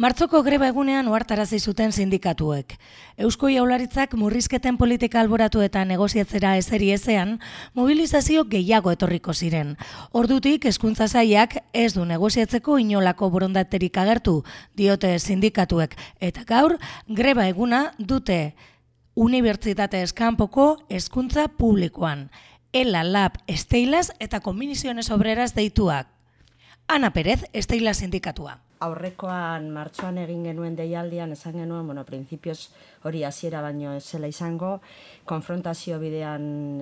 Martzoko greba egunean ohartarazi zuten sindikatuek. Eusko Jaurlaritzak murrizketen politika alboratu eta negoziatzera eseri ezean, mobilizazio gehiago etorriko ziren. Ordutik hezkuntza sailak ez du negoziatzeko inolako borondaterik agertu, diote sindikatuek, eta gaur greba eguna dute unibertsitatez kanpoko hezkuntza publikoan. Ela, Lab, Steilas eta Comisiones Obreras deituak. Ana Pérez, Steilas sindikatua. Aurrekoan martxoan egin genuen deialdian esan genuen, printzipioz hori hasiera baino ez zela izango, konfrontazio bidean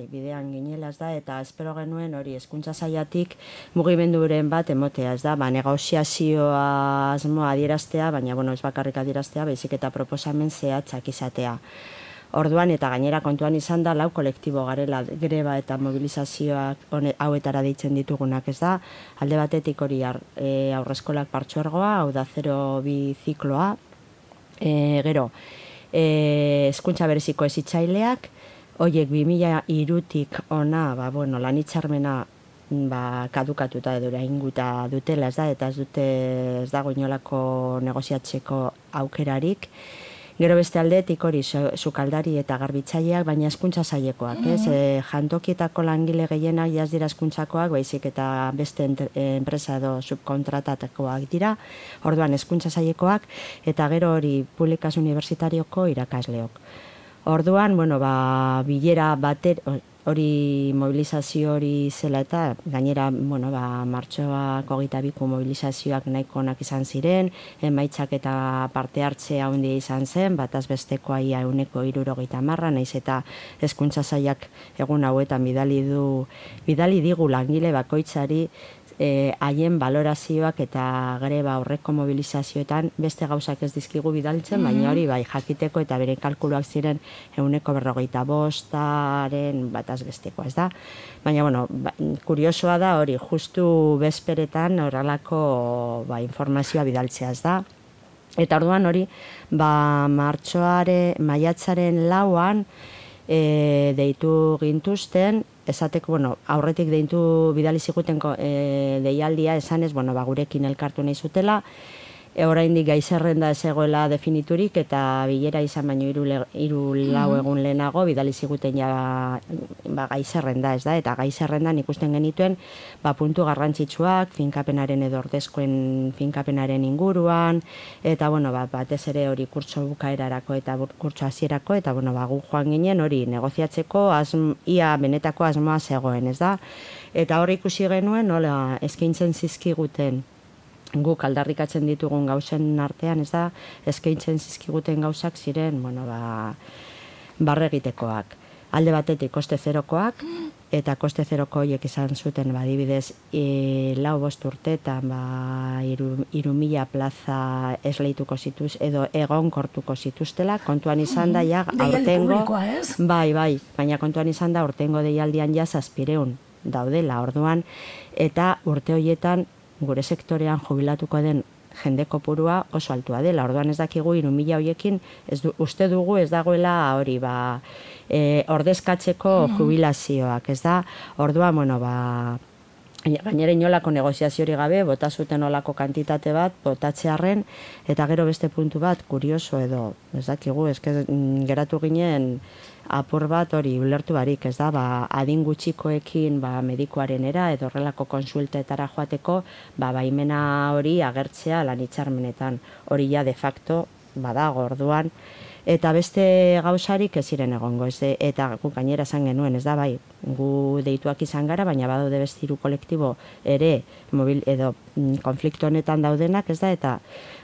bidean ginela ez da, eta espero genuen hori hezkuntza sailatik mugimenduren bat emotea ez da, negoziazioa asmoa adieraztea, baina ez bakarrik adieraztea, baizik eta proposamen zehatzak izatea. Orduan eta gainera kontuan izan da, 4 kolektibo garela greba eta mobilizazioak hauetara deitzen ditugunak ez da. Alde batetik hori aurreskolak partzuergoa, hau da 0-2 zikloa. Gero, hezkuntza bereziko hezitzaileak, horiek 2003tik ona, lan hitzarmena kadukatuta edo orainguta dutela ez da, eta ez dago inolako negoziatzeko aukerarik. Gero beste aldetik hori sukaldari eta garbitzaileak, baina hezkuntza sailekoak, jantokietako langile gehienak jaz dira hezkuntzakoak, baizik eta beste enpresa edo subkontratatakoak dira, orduan hezkuntza sailekoak, eta gero hori publikaz unibertsitarioko irakasleok. Orduan, bilera bater, hori mobilizazio hori zela eta gainera, martxoak 22ko mobilizazioak nahiko onak izan ziren, emaitzak eta parte hartzea handia izan zen, bataz bestekoa ia 170, naiz eta hezkuntza sailak egun hauetan bidali digu langile bakoitzari haien valorazioak eta greba aurreko mobilizazioetan beste gauzak ez dizkigu bidaltzen, baina hori bai jakiteko eta bere kalkuluak ziren 145aren bataz bestekoa, ez da? Baina, kuriosoa da hori, justu bezperetan horrelako informazioa bidaltzea, ez da? Eta orduan hori, maiatzaren 4an deitu gintuzten, esateko, aurretik deitu bidali ziguten deialdia esanez, gurekin elkartu nahi zutela, oraindik gai zerrenda ez egoela definiturik, eta bilera izan baino 3-4 egun lehenago bidali ziguten gai zerrenda ez da, eta gai zerrendan ikusten genituen puntu garrantzitsuak, finkapenaren edo ordezkoen finkapenaren inguruan, eta batez ere hori kurtso bukaerarako eta kurtso hasierako, eta gu joan ginen hori negoziatzeko ia benetako asmoa zegoen, ez da? Eta hori ikusi genuen nola eskaintzen zizkiguten guk aldarrikatzen ditugun gauzen artean, ez da, eskaintzen zizkiguten gauzak ziren, barregitekoak. Alde batetik koste zerokoak, eta koste zeroko horiek izan zuten, adibidez, 4-5 urteetan, 3.000 plaza esleituko zituz, edo egonkortuko zituztela, kontuan izan da, aurtengo, bai, baina kontuan izan da, aurtengo deialdian 700 daudela, orduan, eta urte horietan, gure sektorean jubilatuko den jende kopurua oso altua dela. Orduan ez dakigu 3.000 horiekin, uste dugu ez dagoela hori, ordezkatzeko jubilazioak, ez da? Orduan, gainera inolako negoziaziori gabe, bota zuten olako kantitate bat, botatzearren, eta gero beste puntu bat, kurioso edo, ez dakigu, geratu ginen apur bat hori ulertu barik, ez da, adin gutxikoekin medikuarenera edo horrelako konsultetara joateko, baimena hori agertzea lan hitzarmenetan, hori ja de facto badago orduan, eta beste gauzarik ez ziren egongo, eta gu gainera esan genuen, ez da, gu deituak izan gara, baina badaude beste 3 kolektibo ere edo konflikto honetan daudenak, ez da, eta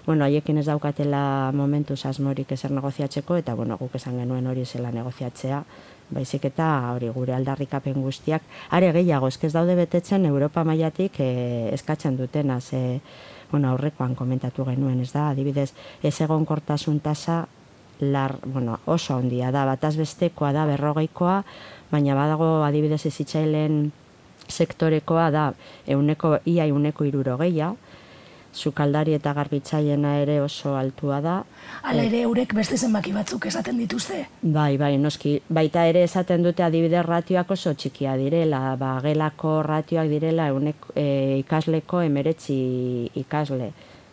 haiekin ez daukatela momentuz asmorik ezer negoziatzeko, eta guk esan genuen hori zela negoziatzea, baizik eta hori gure aldarrikapen guztiak, are gehiago, ez daude betetzen Europa mailatik eskatzen dutena, aurrekoan komentatu genuen, ez da, adibidez, ez egonkortasun tasa oso handia da, bataz bestekoa da 40koa, baina badago adibidez hezitzaileen sektorekoa da ia 160, sukaldari eta garbitzaileena ere oso altua da. Hala ere eurek beste zenbaki batzuk esaten dituzte? Bai, noski. Baita ere esaten dute adibidez ratioak oso txikia direla, gelako ratioak direla ikasleko 19 ikasle.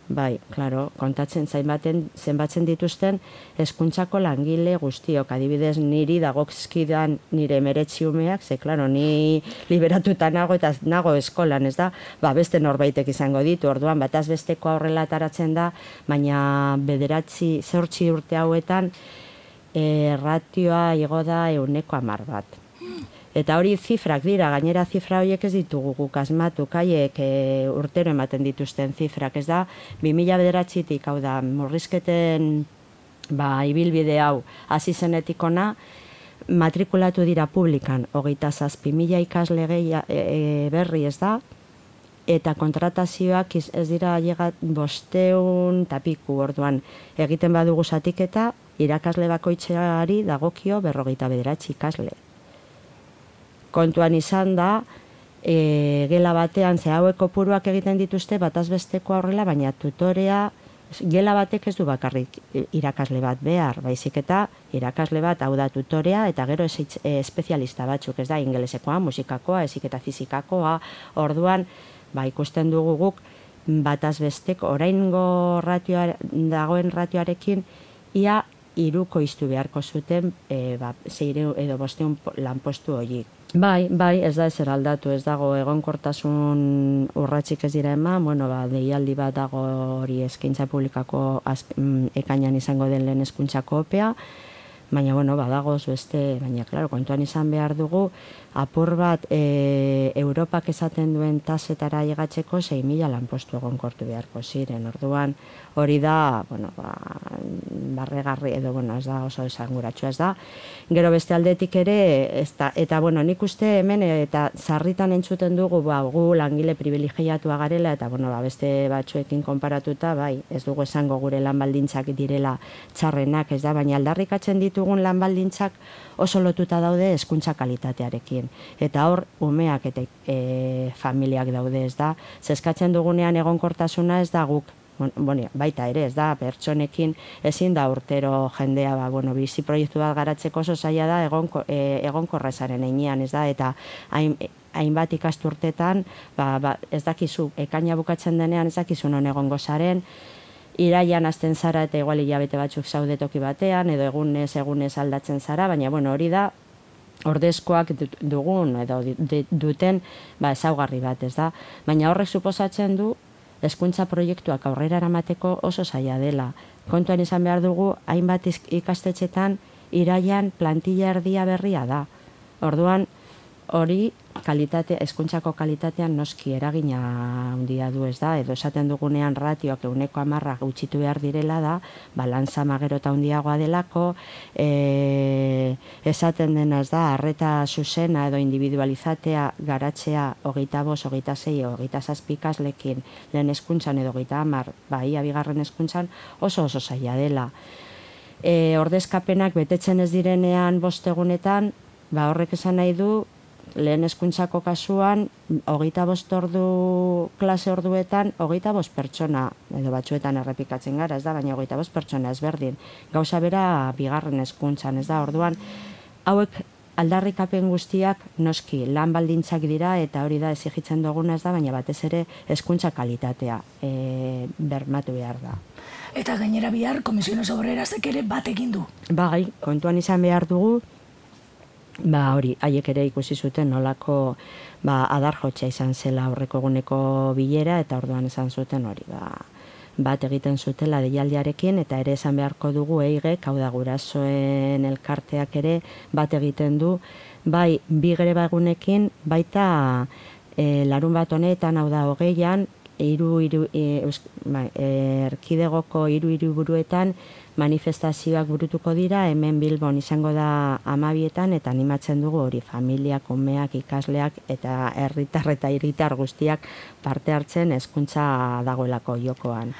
bai, klaro, kontatzen zenbatzen dituzten hezkuntzako langile guztiok, adibidez niri dagozkidan nire 19 umeak, ze, klaro, ni liberatuta nago eta nago eskolan, ez da, beste norbaitek izango ditu, orduan, bataz besteko horrela ataratzen da, baina 8 urte hauetan, ratioa igo da 110 Eta hori zifrak dira, gainera zifra horiek ez ditugu guk asmatu, kaiek urtero ematen dituzten zifrak, ez da, 2009-tik, hau da, murrizketen ibilbide hau hasi zenetik ona, matrikulatu dira publikan 27.000 ikasle berri, ez da, eta kontratazioak ez dira llegat 500 eta piku, orduan egiten badugu zatiketa, irakasle bakoitzari dagokio 59 ikasle. Kontuan izan da, gela batean ze hauek kopuruak egiten dituzte bataz besteko horrela, baina tutorea, gela batek ez du bakarrik irakasle bat behar, baizik eta irakasle bat hau da tutorea, eta gero espezialista batzuk, ez da, ingelesekoa, musikakoa, eziketa fizikakoa, orduan, ikusten dugu guk, bataz besteko, oraingo dagoen ratioarekin, ia 3 koiztu beharko zuten 600 edo 500 lanpostu horiek. Bai, ez da ezer aldatu, ez dago egonkortasun urratsik ez dira eman, deialdi bat dago hori eskaintza publikako ekainan izango den lehen hezkuntzako opea, baina, badagoz beste, baina, klaro, kontuan izan behar dugu, apur bat Europak esaten duen tasetara llegatzeko 6.000 lanpostu egonkortu beharko ziren, orduan hori da, barregarri edo, ez da oso esanguratsua, ez da. Gero beste aldetik ere, eta, nik uste hemen, eta sarritan entzuten dugu, gu langile privilegiatua garela, eta, beste batzuekin konparatuta, ez dugu esango gure lan baldintzak direla txarrenak, ez da, baina aldarrikatzen ditugun lan baldintzak oso lotuta daude hezkuntza kalitatearekin. Eta hor, umeak eta familiak daude, ez da. Zeskatzen dugunean egonkortasuna ez da guk, baita ere, ez da, pertsonekin ezin da urtero jendea, bizi proiektu bat garatzeko oso zaila da egonkorra esaren einean, ez da, eta hainbat ikasturtetan, ez dakizu, ekaina bukatzen denean ez dakizu non egongo zaren, iraian hasten zara eta igual hilabete batzuk zaude toki batean, edo egunez aldatzen zara, baina hori da, ordezkoak dugun edo duten ezaugarri bat, ez da. Baina horrek suposatzen du hezkuntza proiektuak aurrera eramateko oso zaila dela. Kontuan izan behar dugu, hainbat ikastetxetan iraian plantilla erdia berria da. Orduan, hori hezkuntzako kalitatean noski eragina handia du, ez da, edo esaten dugunean ratioak 110 gutxitu behar direla da, lanzama gero eta handiagoa delako, esaten dena, ez da, arreta zuzena edo individualizatea garatzea 25, 26, 27 ikaslekin lehen hezkuntzan edo 30, ia bigarren hezkuntzan oso zaila dela. Ordezkapenak betetzen ez direnean 5 egunetan, horrek esan nahi du, lehen hezkuntzako kasuan, 25 ordu klase orduetan, 25 pertsona, edo batzuetan errepikatzen gara, ez da, baina 25 pertsona ezberdin. Gauza bera bigarren hezkuntzan, ez da, orduan, hauek aldarrikapen guztiak noski lan baldintzak dira, eta hori da exigitzen duguna, ez da, baina batez ere hezkuntza kalitatea bermatu behar da. Eta gainera bihar, Komisiones Obrerazek ere bat egin du. Kontuan izan behar dugu, hori, haiek ere ikusi zuten nolako adarjotxa izan zela aurreko eguneko bilera, eta orduan esan zuten hori, bat egiten zutela deialdiarekin, eta ere esan beharko dugu EIGek, hau da gurasoen elkarteak ere bat egiten du, bi greba egunekin, baita larun bat honetan, hau da 20an, erkidegoko 3 hiriburuetan manifestazioak burutuko dira, hemen Bilbon izango da 12etan, eta animatzen dugu hori familiak, umeak, ikasleak eta herritar eta hiritar guztiak parte hartzen hezkuntza dagoelako jokoan.